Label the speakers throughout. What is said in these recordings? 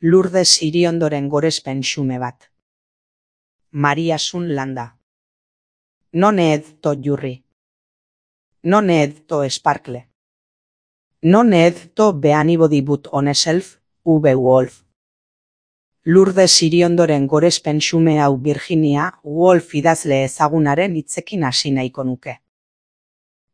Speaker 1: Lourdes Iriondoren gorespen xume bat. Maria Sun Landa. Non ed to jurri. Non ed to sparkle. Non ed to be anybody but on self, V. Wolf. Lourdes Iriondoren gorespen xume hau Virginia Woolf idazle ezagunaren hitzekin hasi nahiko nuke.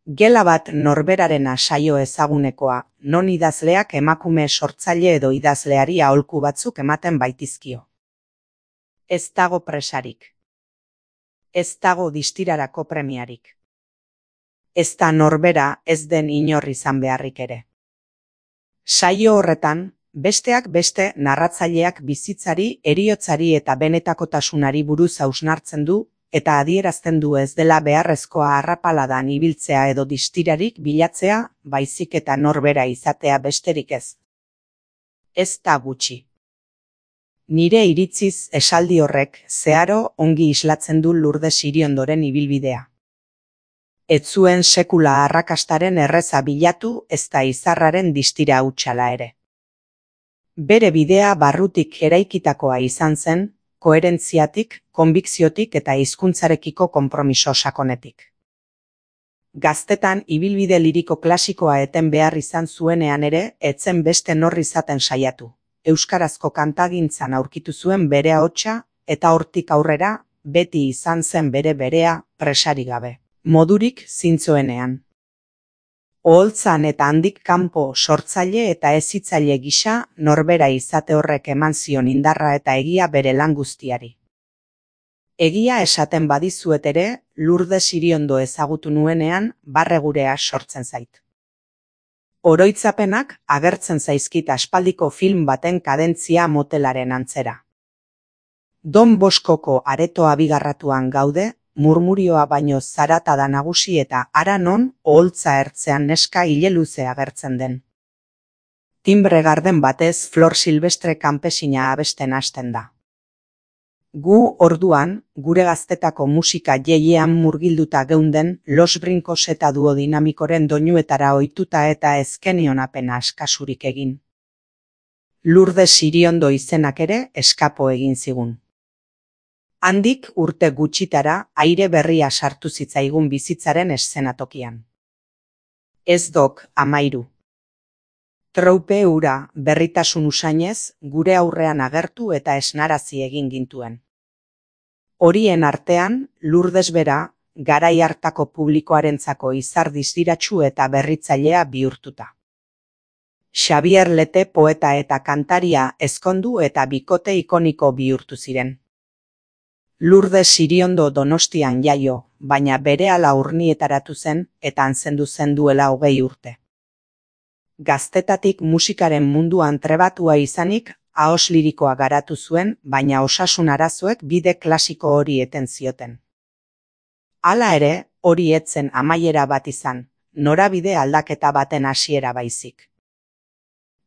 Speaker 1: Gela bat norberarena saio ezagunekoa, non idazleak emakume sortzaile edo idazleari aholku batzuk ematen baitizkio. Ez dago presarik. Ez dago distirarako premiarik. Ez da norbera ez den inor izan beharrik ere. Saio horretan, besteak beste narratzaileak bizitzari, heriotzari eta benetakotasunari buruz hausnartzen du, eta adierazten du ez dela beharrezkoa arrapaladan ibiltzea edo distirarik bilatzea, baizik eta norbera izatea besterik ez. Ez da gutxi. Nire iritziz esaldi horrek zeharo ongi islatzen du Lourdes Iriondoren ibilbidea. Ez zuen sekula arrakastaren erreza bilatu ezta izarraren distira hutsala ere. Bere bidea barrutik eraikitakoa izan zen, koherentziatik, konbikziotik eta hizkuntzarekiko konpromiso sakonetik. Gaztetan ibilbide liriko klasikoa eten behar izan zuenean ere, etzen beste nor izaten saiatu. Euskarazko kantagintzan aurkitu zuen bere ahotsa, eta hortik aurrera, beti izan zen berea, presarik gabe. Modurik zintzoenean. Oholtzan eta handik kanpo sortzaile eta hezitzaile gisa norbera izate horrek eman zion indarra eta egia bere lan guztiari. Egia esaten badizuet ere, Lourdes Iriondo ezagutu nuenean barregurea sortzen zait. Oroitzapenak agertzen zaizkit aspaldiko film baten kadentzia motelaren antzera. Don Boskoko areto abigarratuan gaude, murmurioa baino zarata da nagusi eta hara non oholtza ertzean neska ile luze agertzen den. Timbre garden batez Flor Silvestre kanpesina abesten hasten da. Gu orduan, gure gaztetako musika jeiean murgilduta geunden Los Brincos eta duodinamikoren doinuetara ohituta eta ezkenion apena askasurik egin. Lourdes Iriondo izenak ere eskapo egin zigun. Handik urte gutxitara aire berria sartu zitzaigun bizitzaren eszenatokian. Ez dok 13. Troupe hura berritasun usainez gure aurrean agertu eta esnarazi egin gintuen. Horien artean, Lourdes bera, garai hartako publikoarentzako izar distiratsu eta berritzailea bihurtuta. Xabier Lete poeta eta kantaria ezkondu eta bikote ikoniko bihurtu ziren. Lourdes Iriondo Donostian jaio, baina berehala Urnietaratu zen eta antzendu zen duela 20 urte. Gaztetatik musikaren munduan trebatua izanik, ahos lirikoa garatu zuen, baina osasun arazoek bide klasiko hori eten zioten. Hala ere, hori etzen amaiera bat izan, norabide aldaketa baten hasiera baizik.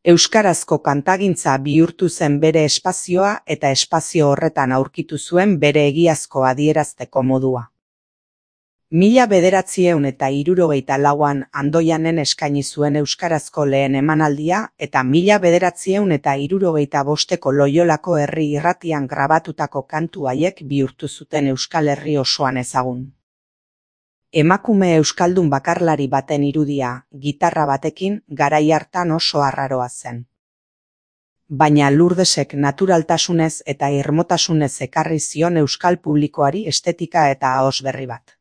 Speaker 1: Euskarazko kantagintza bihurtu zen bere espazioa eta espazio horretan aurkitu zuen bere egiazko adierazteko modua. 1964an Andoianen eskaini zuen euskarazko lehen emanaldia eta 1965ko Loiolako herri irratian grabatutako kantu haiek bihurtu zuten Euskal Herri osoan ezagun. Emakume euskaldun bakarlari baten irudia, gitarra batekin, garai hartan oso arraroa zen. Baina Lourdesek naturaltasunez eta irmotasunez ekarri zion euskal publikoari estetika eta ahos berri bat.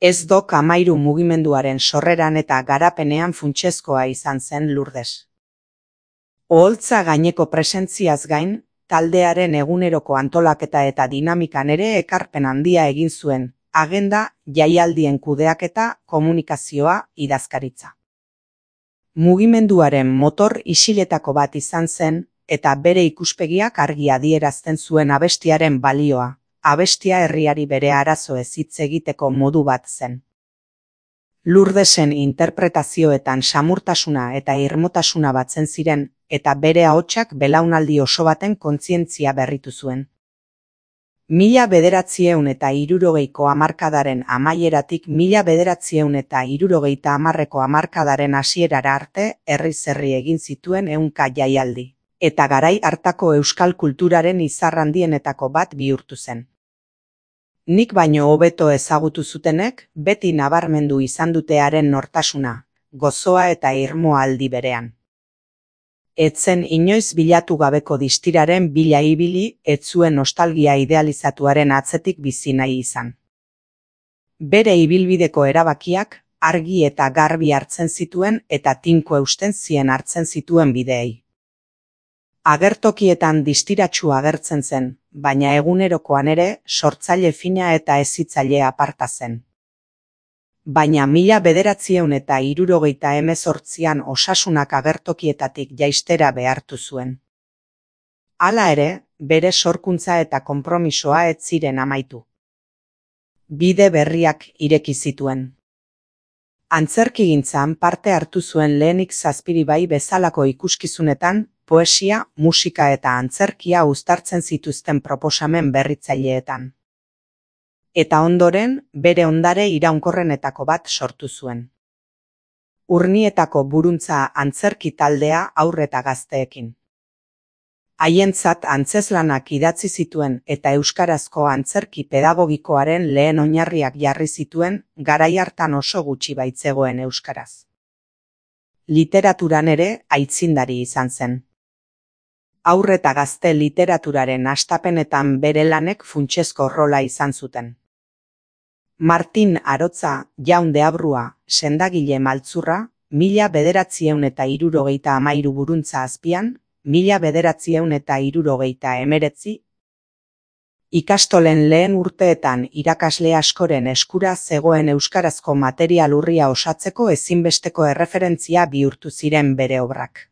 Speaker 1: Ez dok 13 mugimenduaren sorreran eta garapenean funtsezkoa izan zen Lourdes. Oholtza gaineko presentziaz gain, taldearen eguneroko antolaketa eta dinamikan ere ekarpen handia egin zuen, agenda, jaialdien kudeaketa, komunikazioa, idazkaritza. Mugimenduaren motor isiletako bat izan zen, eta bere ikuspegiak argi adierazten zuen abestiaren balioa, abestia herriari bere arazoez hitz egiteko modu bat zen. Lourdesen interpretazioetan samurtasuna eta irmotasuna batzen ziren, eta bere ahotsak belaunaldi oso baten kontzientzia berritu zuen. 1960ko hamarkadaren amaieratik 1970ko hamarkadaren hasierara arte herriz herri egin zituen 100 jaialdi, eta garai hartako euskal kulturaren izar handienetako bat bihurtu zen. Nik baino hobeto ezagutu zutenek beti nabarmendu izan dute haren nortasuna, gozoa eta irmoa aldi berean. Etzen inoiz bilatu gabeko distiraren bila ibili, ez zuen nostalgia idealizatuaren atzetik bizi nahi izan. Bere ibilbideko erabakiak argi eta garbi hartzen zituen eta tinko eusten zien hartzen zituen bideei. Agertokietan distiratsu agertzen zen, baina egunerokoan ere sortzaile fina eta hezitzaile aparta zen. Baina 1978an Osasunak agertokietatik jaistera behartu zuen. Hala ere, bere sorkuntza eta konpromisoa ez ziren amaitu. Bide berriak ireki zituen. Antzerkigintzan parte hartu zuen lehenik Zazpiribai bezalako ikuskizunetan, poesia, musika eta antzerkia uztartzen zituzten proposamen berritzaileetan. Eta ondoren, bere ondare iraunkorrenetako bat sortu zuen. Urnietako buruntza antzerki taldea haur eta gazteekin. Haientzat antzeslanak idatzi zituen eta euskarazko antzerki pedagogikoaren lehen oinarriak jarri zituen garai hartan oso gutxi baitzegoen euskaraz. Literaturan ere aitzindari izan zen. Haur eta gazte literaturaren hastapenetan bere lanek funtsezko rola izan zuten. Martin Arotza, Jaun de Abrua, Sendagile Maltzurra, 1973 buruntza azpian, 1979. Ikastolen lehen urteetan irakasle askoren eskura zegoen euskarazko material urria osatzeko ezinbesteko erreferentzia bihurtu ziren bere obrak.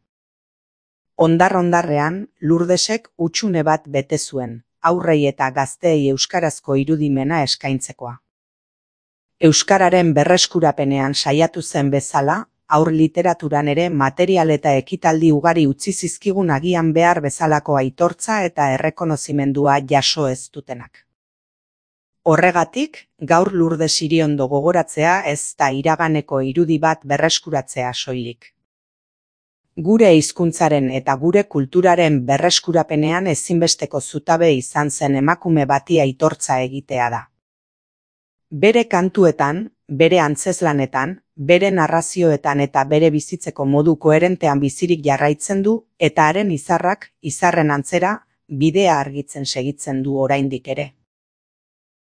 Speaker 1: Ondar-ondarrean, Lurdesek hutsune bat bete zuen, haurrei eta gazteei euskarazko irudimena eskaintzekoa. Euskararen berreskurapenean saiatu zen bezala, haur literaturan ere material eta ekitaldi ugari utzi zizkigun agian behar bezalako aitortza eta errekonozimendua jaso ez dutenak. Horregatik, gaur Lurdes Iriondo gogoratzea ez da iraganeko irudi bat berreskuratzea soilik. Gure hizkuntzaren eta gure kulturaren berreskurapenean ezinbesteko zutabe izan zen emakume bati aitortza egitea da. Bere kantuetan, bere antzeslanetan, bere narrazioetan eta bere bizitzeko modu koherentean bizirik jarraitzen du eta haren izarrak, izarren antzera, bidea argitzen segitzen du oraindik ere.